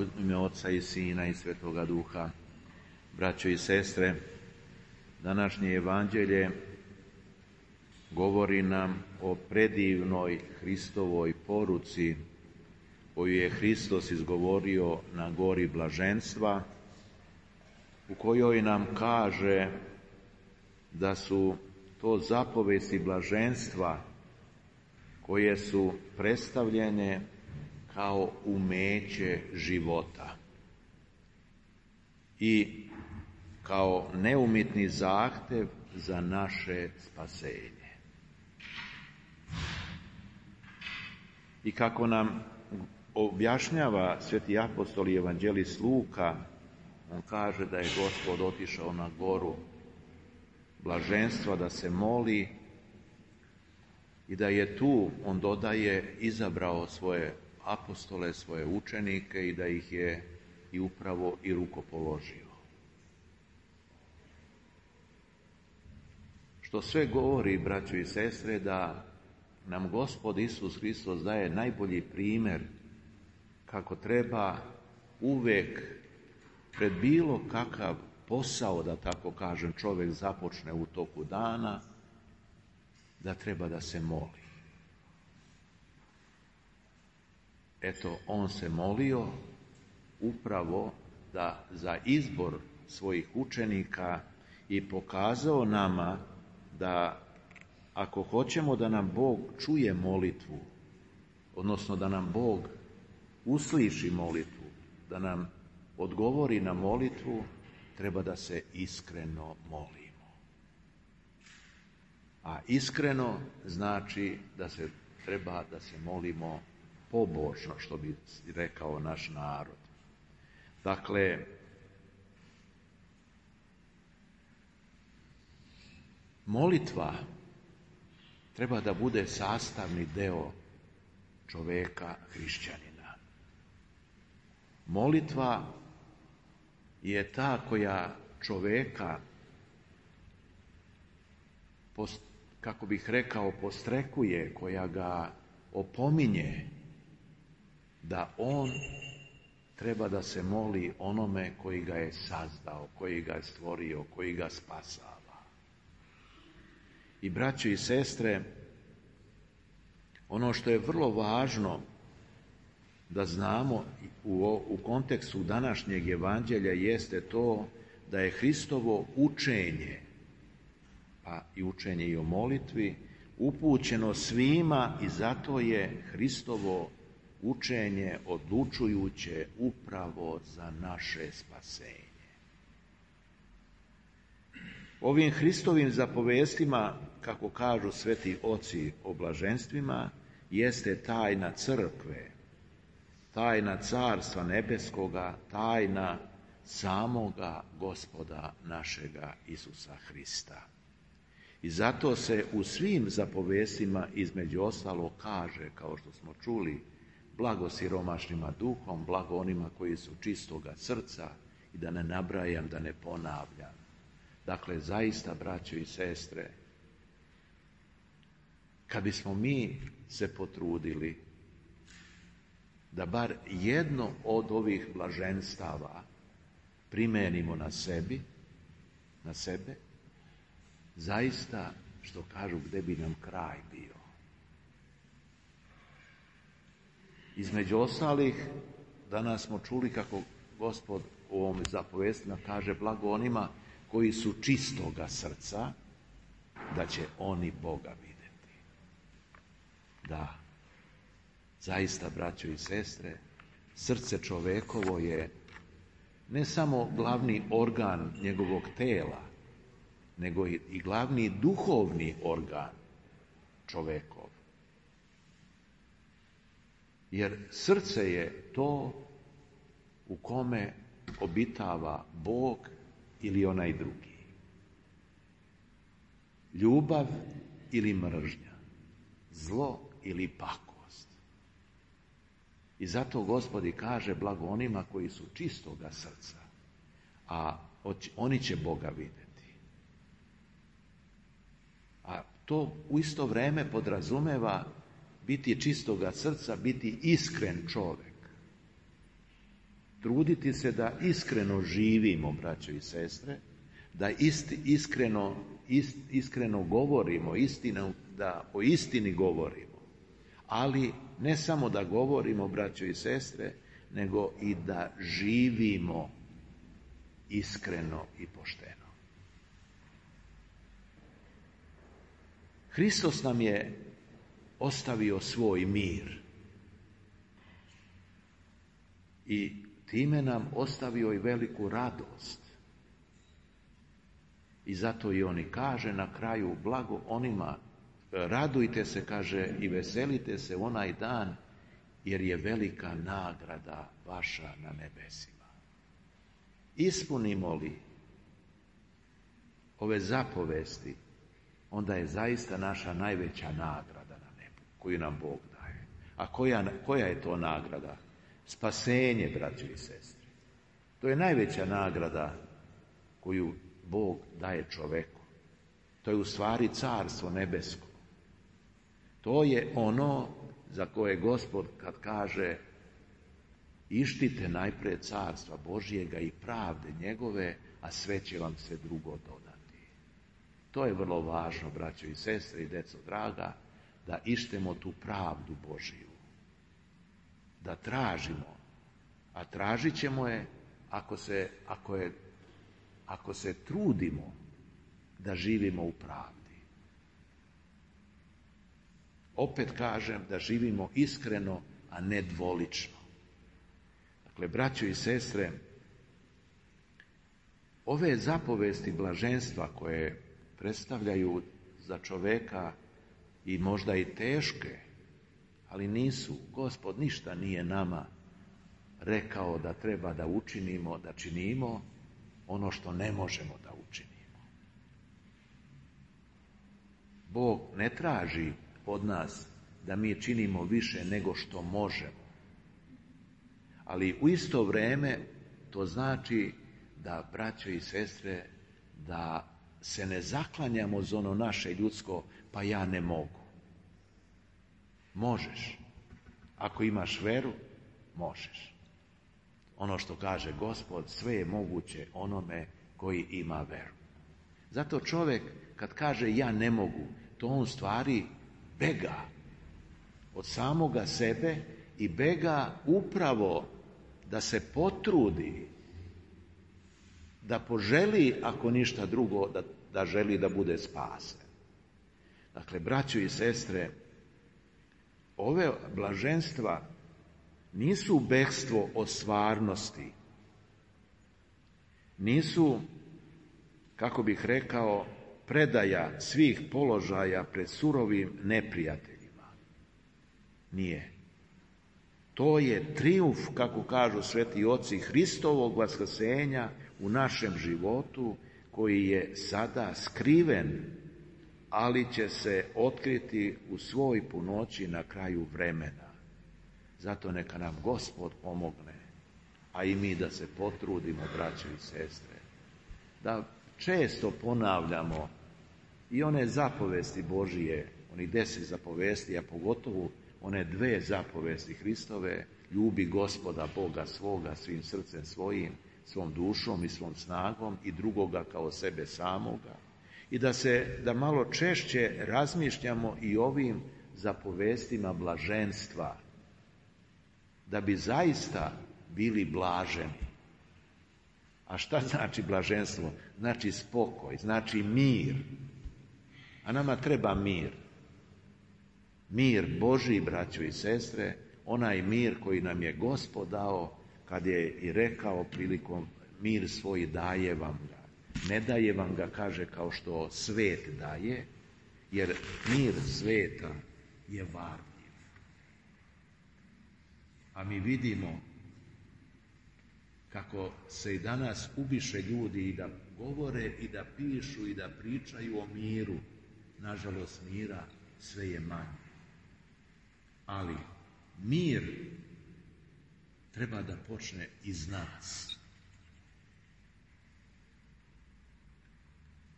U ime Oca i Sina i Svetoga Duha. Braćo i sestre, današnje evanđelje govori nam o predivnoj Hristovoj poruci koju je Hristos izgovorio na gori blaženstva, u kojoj nam kaže da su to zapovesti blaženstva koje su predstavljene kao umeće života i kao neumitni zahtev za naše spasenje. I kako nam objašnjava sveti apostol i evanđelist Luka, on kaže da je Gospod otišao na goru blaženstva da se moli i da je tu, on dodaje, izabrao svoje apostole, svoje učenike i da ih je i upravo i rukopoložio. Što sve govori, braćo i sestre, da nam Gospod Isus Hristos daje najbolji primjer kako treba uvek pred bilo kakav posao, da tako kažem, čovjek započne u toku dana, da treba da se moli. Eto, on se molio upravo da za izbor svojih učenika i pokazao nama da ako hoćemo da nam Bog čuje molitvu, odnosno da nam Bog usliši molitvu, da nam odgovori na molitvu, treba da se iskreno molimo. A iskreno znači da se treba da se molimo pobožno, što bi rekao naš narod. Dakle, molitva treba da bude sastavni deo čoveka hrišćanina. Molitva je ta koja čoveka, kako bih rekao, postrekuje, koja ga opominje da on treba da se moli onome koji ga je sazdao, koji ga je stvorio, koji ga spasava. I braćo i sestre, ono što je vrlo važno da znamo u kontekstu današnjeg evanđelja jeste to da je Hristovo učenje, pa i učenje i o molitvi, upućeno svima i zato je Hristovo učenje odlučujuće upravo za naše spasenje. Ovim Hristovim zapovestima, kako kažu sveti oci o blaženstvima, jeste tajna crkve, tajna carstva nebeskoga, tajna samoga Gospoda našega Isusa Hrista. I zato se u svim zapovestima između ostalo kaže, kao što smo čuli, blago siromašnima duhom, blago onima koji su čistoga srca, i da ne nabrajam, da ne ponavljam. Dakle, zaista, braćo i sestre, kad bismo mi se potrudili da bar jedno od ovih blaženstava primenimo na sebe, zaista, što kažu, gde bi nam kraj bio. Između ostalih, danas smo čuli kako Gospod u ovom zapovestima kaže blago onima koji su čistoga srca, da će oni Boga vidjeti. Da, zaista, braćo i sestre, srce čovekovo je ne samo glavni organ njegovog tela, nego i glavni duhovni organ čovekov. Jer srce je to u kome obitava Bog ili onaj drugi. Ljubav ili mržnja, zlo ili pakost. I zato Gospod kaže blago onima koji su čistoga srca, a oni će Boga vidjeti. A to u isto vrijeme podrazumeva biti čistoga srca, biti iskren čovjek. truditi se da iskreno živimo, braćo i sestre, da iskreno govorimo, da o istini govorimo. Ali ne samo da govorimo, braćo i sestre, nego i da živimo iskreno i pošteno. Hristos nam je ostavio svoj mir i time nam ostavio i veliku radost. I zato i on i kaže na kraju, blago onima, radujte se, kaže, i veselite se onaj dan, jer je velika nagrada vaša na nebesima. Ispunimo li ove zapovesti, onda je zaista naša najveća nagrada na nebu, koju nam Bog daje. A koja je to nagrada? Spasenje, braćo i sestre. To je najveća nagrada koju Bog daje čoveku. To je u stvari carstvo nebesko. To je ono za koje Gospod kad kaže ištite najprije carstva Božjega i pravde njegove, a sve će vam se drugo dodati. To je vrlo važno, braćo i sestre i deco draga, da ištemo tu pravdu Božiju. Da tražimo, a tražit ćemo je ako se trudimo da živimo u pravdi. Opet kažem da živimo iskreno, a ne dvolično. Dakle, braćo i sestre, ove zapovesti blaženstva koje predstavljaju za čoveka i možda i teške, ali nisu. Gospod ništa nije nama rekao da treba da učinimo, da činimo ono što ne možemo da učinimo. Bog ne traži od nas da mi činimo više nego što možemo. Ali u isto vrijeme to znači da, braćo i sestre, da se ne zaklanjamo za ono naše ljudsko, pa ja ne mogu. Možeš. Ako imaš veru, možeš. Ono što kaže Gospod, sve je moguće onome koji ima veru. Zato čovjek kad kaže ja ne mogu, to on stvari bega od samoga sebe i bega upravo da se potrudi, da poželi, ako ništa drugo, da želi da bude spasen. Dakle, braćo i sestre, ove blaženstva nisu bekstvo od stvarnosti, nisu, kako bih rekao, predaja svih položaja pred surovim neprijateljima. Nije. To je trijumf, kako kažu sveti oci, Hristovog vaskrsenja u našem životu, koji je sada skriven, ali će se otkriti u svoj punoći na kraju vremena. Zato neka nam Gospod pomogne, a i mi da se potrudimo, braćo i sestre, da često ponavljamo i one zapovesti Božije, onih 10 zapovesti, a pogotovo one 2 zapovesti Hristove, ljubi Gospoda Boga svoga svim srcem svojim, svom dušom i svom snagom i drugoga kao sebe samoga. I da malo češće razmišljamo i ovim zapovestima blaženstva, da bi zaista bili blaženi. A šta znači blaženstvo? Znači spokoj, znači mir. A nama treba mir. Mir Božji, braćo i sestre, onaj mir koji nam je Gospod dao, kad je i rekao prilikom mir svoj daje vam ga. Ne daje vam ga, kaže, kao što svet daje, jer mir sveta je varljiv. A mi vidimo kako se i danas ubiše ljudi i da govore i da pišu i da pričaju o miru. Nažalost, mira sve je manje. Ali mir treba da počne iz nas,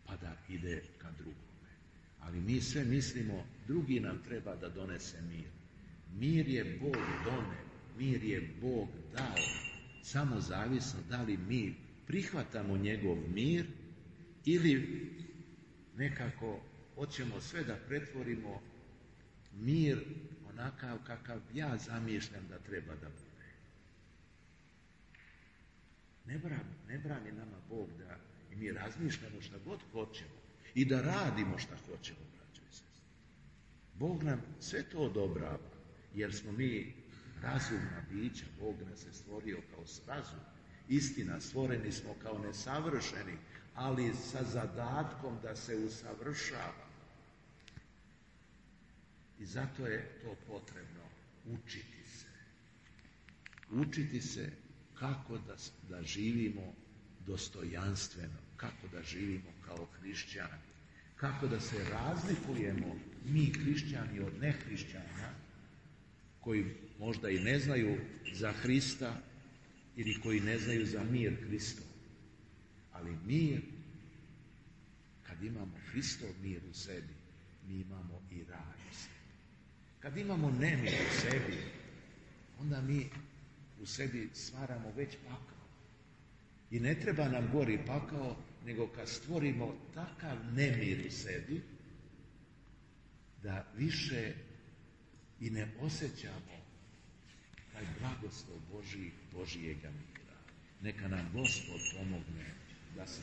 pa da ide ka drugome. Ali mi sve mislimo, drugi nam treba da donese mir. Mir je Bog doneo, mir je Bog dao. samo zavisno da li mi prihvatamo njegov mir ili nekako hoćemo sve da pretvorimo mir onakav kakav ja zamišljam da treba da bude. Ne brani nama Bog da i mi razmišljamo šta god hoćemo i da radimo šta hoćemo, braćo i sestre. Bog nam sve to odobrava, jer smo mi razumna bića. Bog nas je stvorio kao razum. Istina, stvoreni smo kao nesavršeni, ali sa zadatkom da se usavršava. I zato je to potrebno učiti se. Učiti se kako da živimo dostojanstveno, kako da živimo kao hrišćani, kako da se razlikujemo mi hrišćani od nehrišćana koji možda i ne znaju za Hrista ili koji ne znaju za mir Hristov. Ali mir, kad imamo Hristov mir u sebi, mi imamo i raj u sebi. Kad imamo nemir u sebi, onda mi u sebi stvaramo već pakao. I ne treba nam gori pakao, nego kad stvorimo takav nemir u sebi, da više i ne osjećamo taj blagoslov Božijega mira. Neka nam Gospod pomogne da se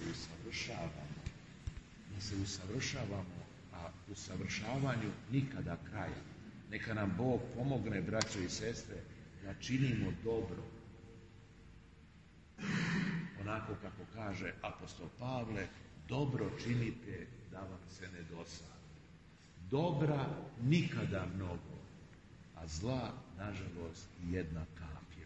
usavršavamo, a usavršavanju nikada kraja. Neka nam Bog pomogne, braćo i sestre, da činimo dobro. Onako kako kaže apostol Pavle, dobro činite da vam se ne dosadi. Dobra nikada mnogo, a zla, nažalost, jedna kap je